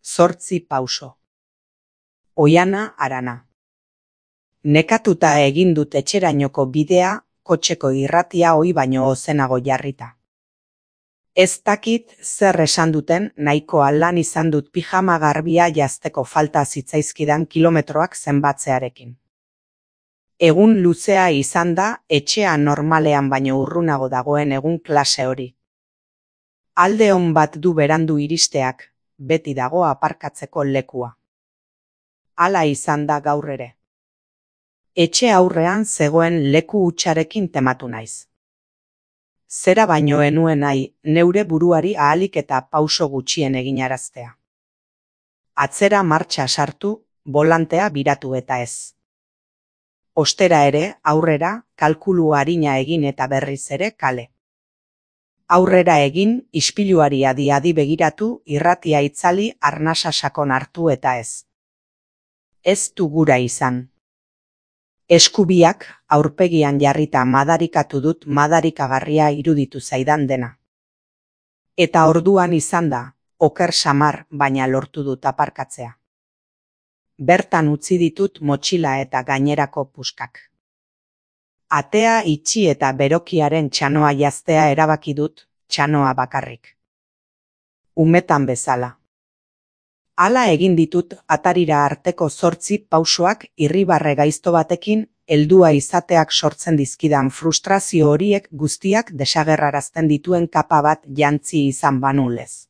8 pauso. Oiana Arana. Nekatuta egin dut etxerainoko bidea, kotxeko irratia ohi baino ozenago jarrita. Ez dakit zer esan duten, nahikoa lan izan dut pijama garbia jazteko falta zitzaizkidan kilometroak zenbatzearekin. Egun luzea izan da, etxea normalean baino urrunago dagoen egun klase hori. Alde on bat du berandu iristeak, beti dago aparkatzeko lekua. Hala izan da gaur ere. Etxe aurrean zegoen leku hutsarekin tematu naiz. Zera baino enuen nahi, neure buruari ahalik eta pauso gutxien eginaraztea. Atzera martxa sartu, bolantea biratu eta ez. Ostera ere, aurrera, kalkulu arina egin eta berriz ere kale. Aurrera egin, ispiluari adi-adi begiratu, irratia itzali, arnasa sakon hartu eta ez. Ez du gura izan. Eskubiak aurpegian jarrita madarikatu dut madarikagarria iruditu zaidan dena. Eta orduan izan da, oker samar baina lortu dut aparkatzea. Bertan utzi ditut motxila eta gainerako puskak. Atea itxi eta berokiaren txanoa jaztea erabaki dut, txanoa bakarrik. Umetan bezala. Hala egin ditut atarira arteko 8 pausoak irribarre gaizto batekin, heldua izateak sortzen dizkidan frustrazio horiek guztiak desagerrarazten dituen kapa bat jantzi izan banu lez.